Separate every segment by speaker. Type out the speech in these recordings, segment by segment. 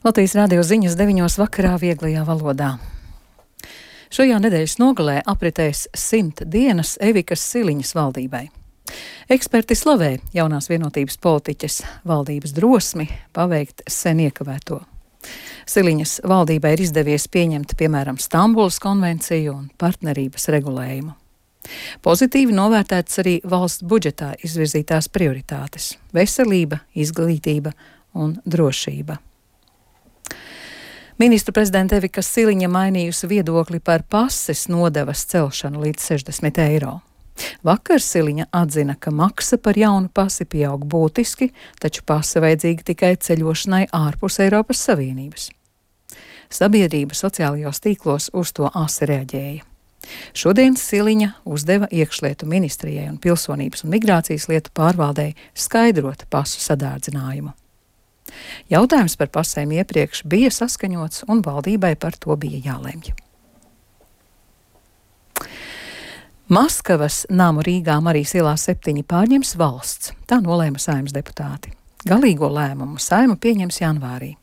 Speaker 1: Latvijas radio ziņas 9 vakarā vieglajā valodā. Šajā nedēļas nogalē apritēs 100 dienas Evikas Siliņas valdībai. Eksperti slavē jaunās vienotības politiķes valdības drosmi paveikt sen iekavēto. Siliņas valdībai ir izdevies pieņemt, piemēram, Stambulas konvenciju un partnerības regulējumu. Pozitīvi novērtētas arī valsts budžetā izvirzītās prioritātes - veselība, izglītība un drošība. Ministru prezidenta Evika Siliņa mainījusi viedokli par pases nodevas celšanu līdz 60 eiro. Vakar Siliņa atzina, ka maksa par jaunu pasi pieaug būtiski, taču pase vajadzīga tikai ceļošanai ārpus Eiropas Savienības. Sabiedrība sociālajos tīklos uz to asi reaģēja. Šodien Siliņa uzdeva iekšlietu ministrijai un pilsonības un migrācijas lietu pārvaldei skaidrot pasu sadārdzinājumu. Jautājums par pasēm iepriekš bija saskaņots un valdībai par to bija jālemj. Maskavas namu Rīgā Marijas ielā 7 pārņems valsts, tā nolēma Saeimas deputāti. Galīgo lēmumu Saeima pieņems janvārī.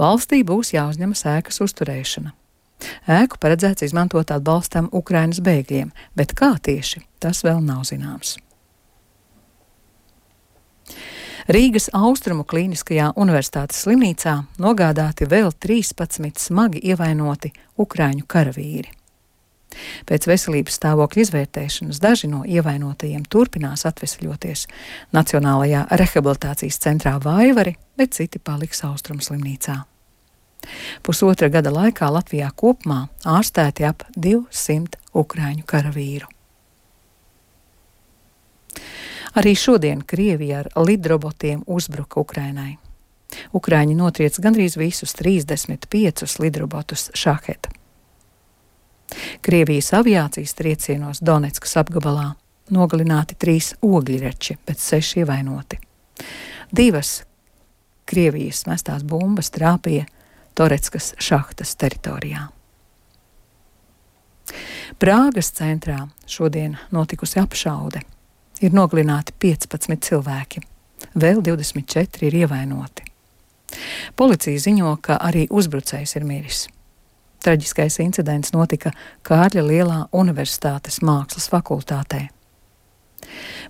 Speaker 1: Valstī būs jāuzņemas ēkas uzturēšana. Ēku paredzēts izmantot atbalstam Ukrainas bēgļiem, bet kā tieši, tas vēl nav zināms. Rīgas Austrumu klīniskajā universitātes slimnīcā nogādāti vēl 13 smagi ievainoti ukraiņu karavīri. Pēc veselības stāvokļa izvērtēšanas daži no ievainotajiem turpinās atvesļoties Nacionālajā rehabilitācijas centrā Vaivari, bet citi paliks Austrumu slimnīcā. Pusotra gada laikā Latvijā kopumā ārstēti ap 200 ukraiņu karavīru. Arī šodien Krievija ar lidrobotiem uzbruka Ukrainai. Ukraiņi notriec gandrīz visus 35 lidrobotus Šaheta. Krievijas aviācijas triecienos Donetskas apgabalā nogalināti 3 ogļreči, bet 6 ievainoti. 2 Krievijas mestās bumbas trāpīja Toretskas šahtas teritorijā. Prāgas centrā šodien notikusi apšaude. Ir nogalināti 15 cilvēki, vēl 24 ir ievainoti. Policija ziņo, ka arī uzbrucējs ir miris. Traģiskais incidents notika Kārļa Lielā Universitātes mākslas fakultātē.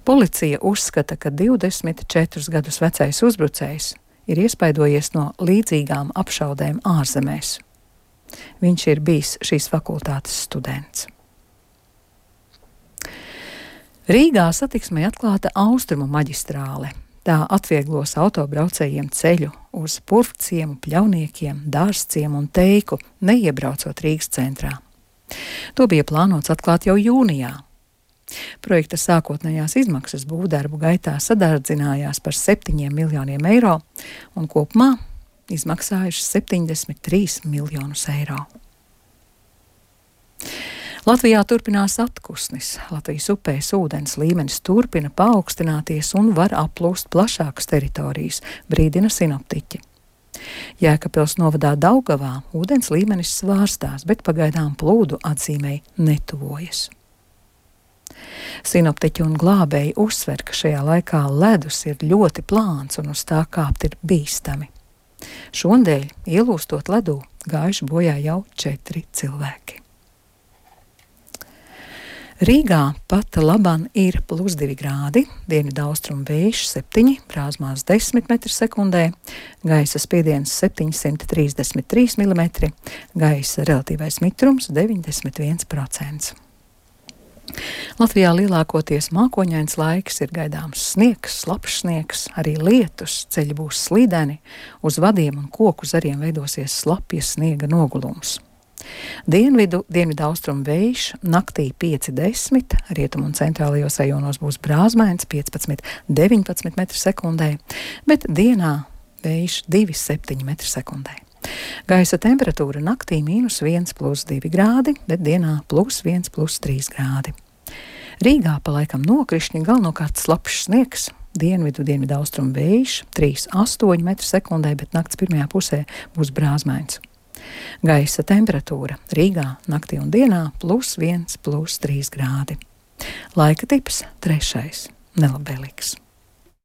Speaker 1: Policija uzskata, ka 24 gadus vecais uzbrucējs ir iespaidojies no līdzīgām apšaudēm ārzemēs. Viņš ir bijis šīs fakultātes students. Rīgā satiksmei atklāta Austrumu maģistrāle. Tā atvieglos autobraucējiem ceļu uz Purvciemu, Pļauniekiem, Dārzciemu un Teiku, neiebraucot Rīgas centrā. To bija plānots atklāt jau jūnijā. Projekta sākotnējās izmaksas būvdarbu gaitā sadārdzinājās par 7 miljoniem eiro un kopumā izmaksājušas 73 miljonus eiro. Latvijā turpinās atkusnis. Latvijas upēs ūdens līmenis turpina paaugstināties un var aplūst plašākas teritorijas, brīdina sinoptiķi. Jēkabpils novadā Daugavā ūdens līmenis svārstās, bet pagaidām plūdu atzīmei netuvojas. Sinoptiķi un glābēji uzsver, ka šajā laikā ledus ir ļoti plāns un uz tā kāpt ir bīstami. Šondēļ, ielūstot ledū, gājuši bojā jau 4 cilvēki. Rīgā pat laban ir +2 grādi, dienvidaustrumu vējš 7, brāzmās 10 m/sekundē, gaisa spiediens 733 mm, gaisa relatīvais mitrums 91%. Latvijā lielākoties mākoņains laiks, ir gaidāms sniegs, slapjš sniegs, arī lietus, ceļi būs slīdeni, uz vadiem un koku zariem veidosies slapjas sniega nogulums. Dienvidaustrumu vējš naktī 5–10, rietumu un centrālajos rajonos būs brāzmains 15–19 m/sekundē, bet dienā vējš 2–7 m/sekundē. Gaisa temperatūra naktī -1 +2 grādi, bet dienā +1 +3 grādi. Rīgā pa laikam nokrišņi, galvenokārt slapjš sniegs, dienvidaustrumu vējš 3–8 m/sekundē, bet nakts pirmajā pusē būs brāzmains. Gaisa temperatūra Rīgā naktī un dienā +1 +3 grādi. Laika tips 3. nelabvēlīgs.